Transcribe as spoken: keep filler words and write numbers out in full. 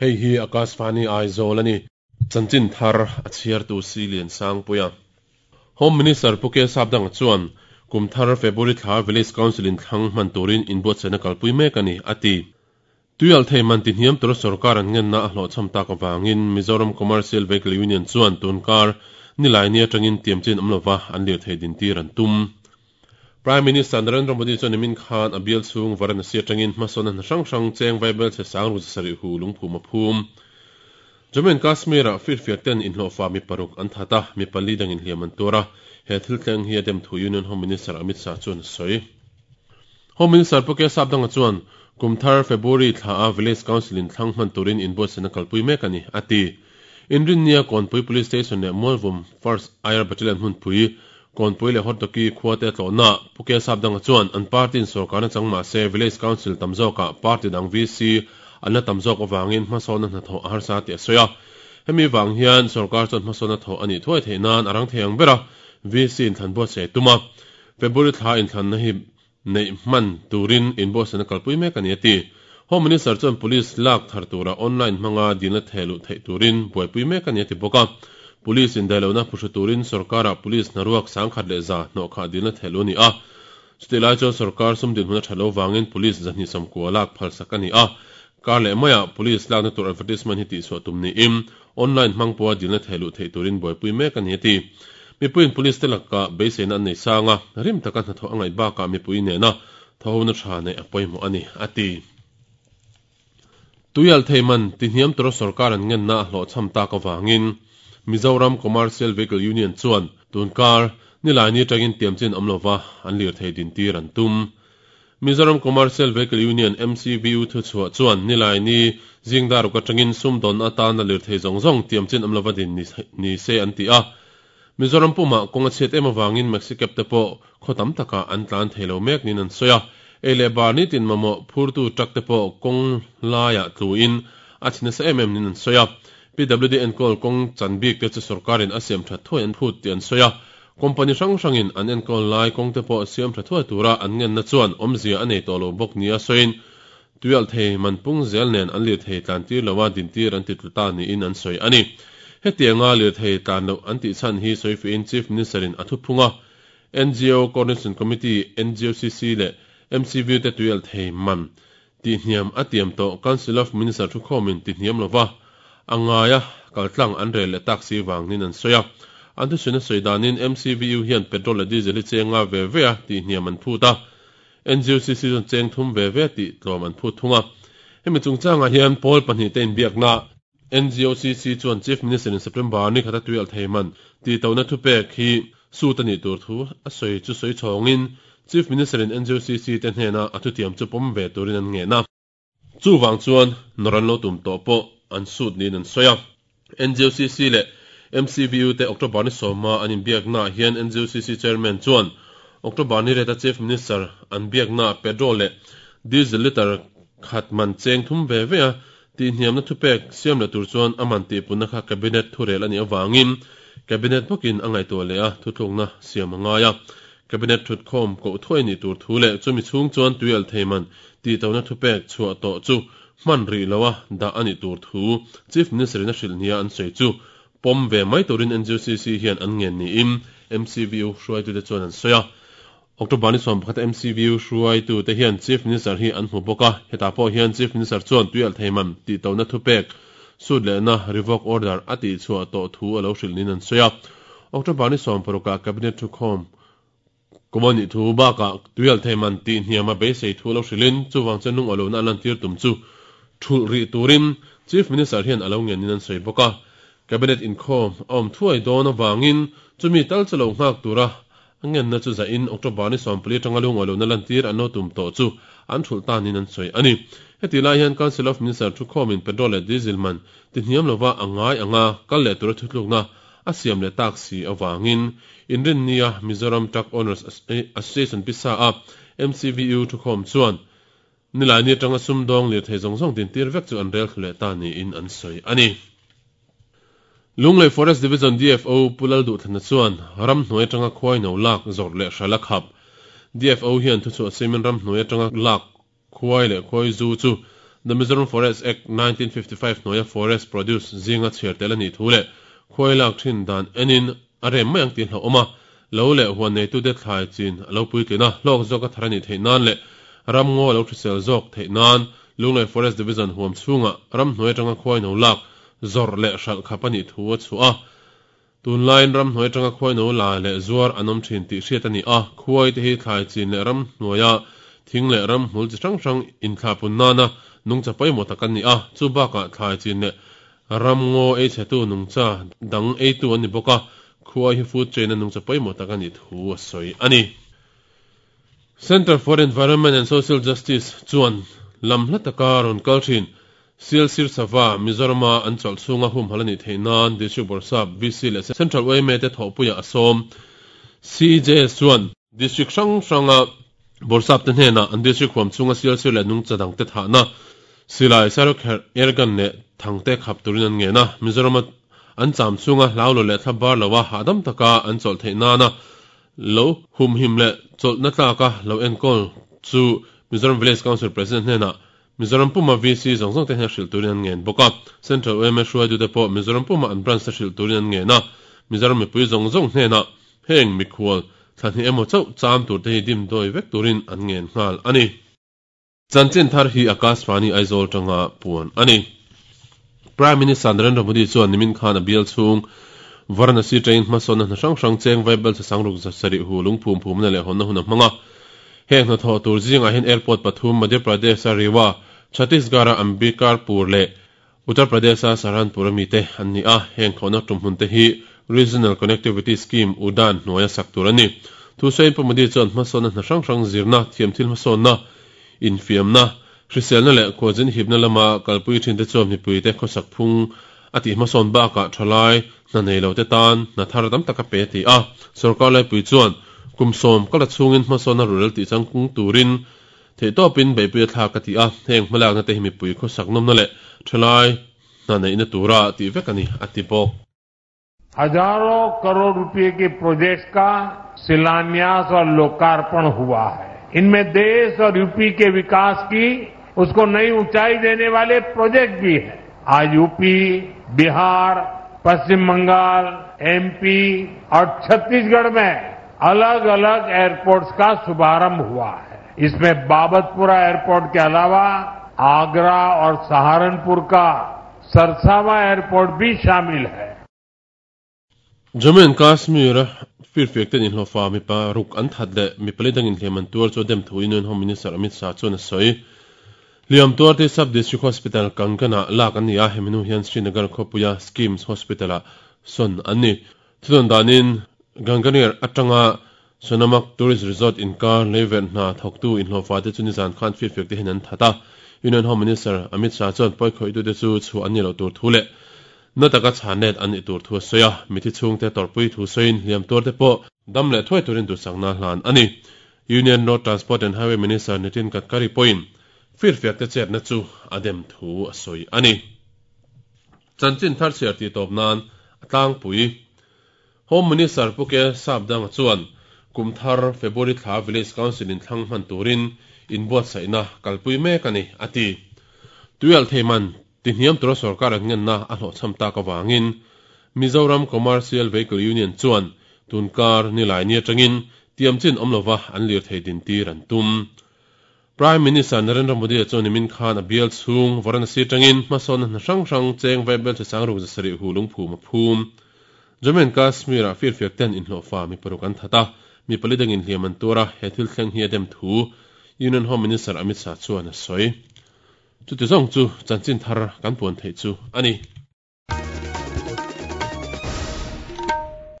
Hei hi Akashvani Aizawl ani. Chanchin thar a chhiartu si lian sang puia. Home Minister Pu K Sapdanga chuan kum thar February thla Village Council in thlang hman turin inbuatsaihna kalpui mek ani a ti. Tuial thei man ti hniam tur sarkar an ngenna a hlawh chham tak awangin Mizoram Commercial Vehicle Union chuan tunkar nilai ni atangin tiamchin awm lova an lir thei din tir an tum. Prime Minister Narendra Modi chuan nimin khan a bial chhung Varanasi atangin hmasawn an hrang hrang cheng vaibel che sang ru sari hu lungphum a phum. Jammu and Kashmir a firfiak ten inhlawhfa mi paruk an thata mi pali dang inhliam an tura he thil thleng hi a dem thu Union Home Minister Amit Shah chuan a sawi. Home Minister Pu K Sapdanga chuan kum thar February thla a Village Council in thlang hman turin inbuatsaihna kalpui mek ani a ti. Inrinnia Kawnpui Police Station leh Mualvum First Air Battalion hmunpui Kawnpui leh Hortoki khua te tlawhna Pu K Sapdanga chuan an party in sarkarna chang mah se Village Council tam zawkah party dang V C an la tam zawk awangin hmasawnna hnathawh a harsa tih a sawi a. Hemi wang hian sarkar chuan hmasawnna thawh ani thuai theih nan a rang thei ang bera V C in thlan buatsaih tuma February thla in thlanna hi nei hman turin inbuatsaihna kalpui mek ani a ti. Home Minister chuan police lak thar tura online hmanga dilna thehluh theih turin buaipui mek ani a ti bawk a. Police in dailona phuhru turin sarkara police hnaruak sangkhat leh za hnawh kha dilna thehluh ani a. Chutilai chuan sarkar sum din hmun a thalo wangin police zahni samkua lak phalsak ani a. Kar leh maiah police lakna tur advertisement hi tih chhuah tum niin online hmang pawha dilna thehluh theih turin buaipui mek ani a ti. Mipuiin police te laka beiseina an nei sanga rim taka hnathawh a ngaih bakah mipui nena thawhona tha nei a pawimawh ani a ti. Tuial thei man ti hniam tura sarkar an ngenna a hlawh chham tak awangin Mizoram Commercial Vehicle Union chuan tunkar nilai ni atangin tiamchin awm lova an lir thei din tir an tum. Mizoram Commercial Vehicle Union M C V U thu chhuah chuan nilai ni zingdar ruk atangin sumdawn atana lir thei zawng zawng tiamchin awm lova din ni se an ti a. Mizoram puma kawnga chhiat em awangin Maxicab te pawh khaw tam taka an tlan thei lo mek nin an sawi a. Ei leh bar ni tin mamawh phurtu truck te pawh kawng laiah tluin a chhina sa em em nin an sawi a. P W D enkawl kawng chan bik te chu sarkarin a siam that thuai an phut tih an sawi a. Company hrang hrangin an enkawl lai kawng te pawh siam tha thuai tura an ngenna chuan awmzia a nei tawh lo bawk ni a sawiin tuial thei man pung zel nen an lir thei tlan tir loa din tir an ti tlu ta niin an sawi ani. Hetianga lir thei tlan loh an tih chhan hi sawi fiin Chief Minister in a thu phunga N G O Coordination Committee N G O C C leh M C V te tuial thei man ti hniam a tiam tawh Council of Minister thu khawmin ti hniam lova a ngaia kaltlang an rel leh taxi wang nin an sawi a. An thu sawi sawi danin M C V U hian petrol leh diesel hi chenga ve ve a ti hniam an phut a. N G O C C chuan cheng thum ve ve ti tlawm an phut thunga. Hemi chungchangah hian pawl pahnih te inbiakna N G O C C chuan Chief Minister in September ni khata tuial thei man ti tona thu pek hi su ta ni tur thu a sawi chu sawi chhawngin Chief Minister in N G O C C te hnena a thu tiam chu pawm ve turin an nge na. Chu wang chuan noran lo tum tawh pawh an sut nin an sawi a. N G O C C leh M C V U te October ni sawma an inbiakna hian N G O C C chairman chuan October ni reta Chief Minister an biakna petrol leh diesel liter khat man cheng thum ve ve a ti hniamna thu pek siam leh tur chuan a man tih punna kha cabinet thu rel ani awangin cabinet bawkin a ngaihtuah leh a thuthlukna siam a ngai a. Cabinet thut khawm koh thuai ni tur thu leh chumi chhung chuan tuial thei man ti tona thu pek chhuah tawh chu hman ri loa dah ani tur thu Chief Minister in a hrilh nia an sawi chu pawm ve mai turin N G O C C hian an ngen niin M C V U hruaitu te chuan an sawi a. October ni sawm pakhat M C V U hruaitu te hian Chief Minister hi an hmu bawk a. Hetah pawh hian Chief Minister chuan tuial thei man ti tona thu pek sut leh na revoke order a tih chhuah tawh thu a lo hrilh nin an sawi a. October ni sawm parukah cabinet thu khawm komani thu bakah tuial thei man tih hniam a beisei thu lo hrilhin chuwang chuan lung alona a lan tir tum chu thulh ri turin Chief Minister hian a lo ngen nin an sawi bawk a. Cabinet inkhawm a awm thuai dawn awangin chumi tal chu lo nghak tura a ngenna chu zain October ni sawm pali atanga lung alona lan tir an lo tum tawh chu an thulh ta nin an sawi ani. Heti lai hian Council of Minister thu khawmin petrol leh diesel man ti hniam lova a ngai anga kal leh tura thutlukna a siam leh tak si awangin inrin nia Mizoram Truck Owners Association pisa a M C V U thu khawm chuan nilai ni atanga sumdawng lir thei zawng zawng din tir vek chu an rel thlu leh ta niin an sawi ani. Lunglei Forest Division D F O Pulal Duhthana chuan ram hnuai atanga khuai no lak zawrh leh hrala khap. D F O hian thu chu a siamin ram hnuai atanga lak khuai leh khuai zu chu The Mizoram Forest Act nineteen fifty-five hnuaia forest produce zinga chhiar tel a nih thu leh khuai lak thin dan enin a rem mai ang tih hlauhawm a, lo leh huan neitute thlai chin a lo puitlin a, hlawk zawk a thar a nih theih nan leh ramngaw a lo hrisel zawk theih nan Lunglei Forest Division huam chhunga ramhnuai atanga khuai no lak zawrh leh hralh khap a nih thu a chhuah a. Tunlaiin ramhnuai atanga khuai no la leh zuar an awm thin tih hriat a ni a, khuai te hi thlai chin leh ramhnuaia thing leh ramhmul chi hrang hrang inthlahpun nana nungcha pawimawh tak an ni a, chu bakah thlai chin leh ramngaw ei chhetu nungcha dang eitu an ni bawk a, khuai hi food chain a nungcha pawimawh tak a nih thu a sawi a ni. Centre for Environment and Social Justice chuan lam hla taka rawn kal thin Sialsir Sava Mizorama an chawlh chhunga humhal a nih theih nan District Bawrhsap V C leh Central Y M A te thawhpuiah a sawm. C J S chuan District hrang hranga Bawrhsap te hnenah an District huam chhunga Sialsir leh nungcha dang te thahna silai Sairokherh airgun leh thangte khap turin an ngen a, Mizorama an cham chhunga hlau lo leh thla bar loa hahdam taka an chawlh theih nana lo humhim leh chawlhna tlaka lo enkawl chu Mizoram Village Council President hnenah Mizoram Puma V C zawng zawng te hian hrilh turin an ngen bawk a, Central Y M A hruaitute pawh Mizoram Puma an branch te hrilh turin an ngen a, Mizoram mipui zawng zawng hnenah heng mikhual thlahnih emaw chauh cham tur te hi dim dawi vek turin an ngen nghal a ni. Chanchin thar hi Akashvani Aizawl tanga puan a ni. Prime Minister Narendra Modi chuan nimin khan a bial chhung Varanasi train hmasawnna hna hrang hrang cheng vaibel chasang ruk sarih hu lungphum phumna leh hawnna hun a hmang a. Heng hnathawh tur zingah hian airport pathum Madhya Pradesh a Rewa, Chhattisgarh a Ambikarpur leh Uttar Pradesh a Saharanpur ami te an ni a, heng thawhna tumhmun te hi Regional Connectivity Scheme UDAN hnuaia sak tur a ni. Thusawiin Pu Modi chuan hmasawnna hna hrang hrang zirna, thiamthil hmasawnna, infiamna, hriselna leh khualzin hipna lama kalpui thin te chuan mipui te khawsak phung a tih hmasawn bakah thalai hna nei lo te tan hna thar tam tak a pe ti a, sarkar laipui chuan kum sawm kala chhungin hmasawnna rurel tih changkung turin theihtawpin beihpui a thlak a ti a, heng hmalakna te hi mipui khawsak nawmna leh thalai hna neihna tura tih vek a ni a ti bawk. हजारों करोड़ रुपए के प्रोजेक्ट्स का शिलान्यास और लोकार्पण हुआ है। इनमें देश और यूपी के विकास की उसको नई ऊंचाई देने वाले प्रोजेक्ट भी हैं। आज यूपी, बिहार, पश्चिम बंगाल, एमपी और छत्तीसगढ़ में अलग-अलग एयरपोर्ट्स का शुभारंभ हुआ है। इसमें बाबतपुरा एयरपोर्ट के अलावा आगरा और सहारनपुर का सरसावा एयरपोर्ट भी शामिल है। Jammu and Kashmir firfiak ten inhlawhfa mipa ruk an that leh mipali dangin hliam an tuar chu dem thu Union Home Minister Amit Shah chuan a sawi. Hliam tuar te Sub District Hospital Kangana lak an ni a, heminu hian Srinagar khawpuia Schemes Hospital ah sawn an ni. Thudon danin Ganganir atanga Sonamarg Tourist Resort inkar leiver hna thawktu inhlawhfa te chu nizan khan firfiak te hian an that a. Union Home Minister Amit Shah chuan pawi khawih tu te chu chu an ni lo tur thu leh na taka chhanet an ni tur thu a sawi a, mithi chhung te torpui thu sawiin hliam tuar te pawh dam leh thuai turin duhsakna hlan a ni. Union Road Transport and Highway Minister Nitin Gadkari pawhin firfiak te chetna chu a dem thu a sawi a ni. Chanchin thar chhiar tih tawp nan a tlangpui. Home Minister Puke Sapdanga chuan Kumthar February thla Village Council in thlang hman turin inbuatsaihna kalpui mek a ni a ti. Tuial theiman tihniam tura sarkar an ngenna a hlawhchham tak awangin Mizoram Commercial Vehicle Union chuan tunkar nilai ni atangin tiamchin awm lova an lir thei din tir an tum. Prime Minister Narendra Modi chuan nimin khan a bial chhung Varanasi tangin hmasawnna hna hrang hrang cheng vaibel chasang ruk zasarih hu lungphum a phum. Jammu and Kashmir a firfiak ten inhlawhfa mi paruk an that a, mi pali dangin hliam an tura he thil thleng hi a dem thu Union Home Minister Amit Shah chuan a sawi. Chuti zawng chu chanchin thar kan puan theih chu a ni.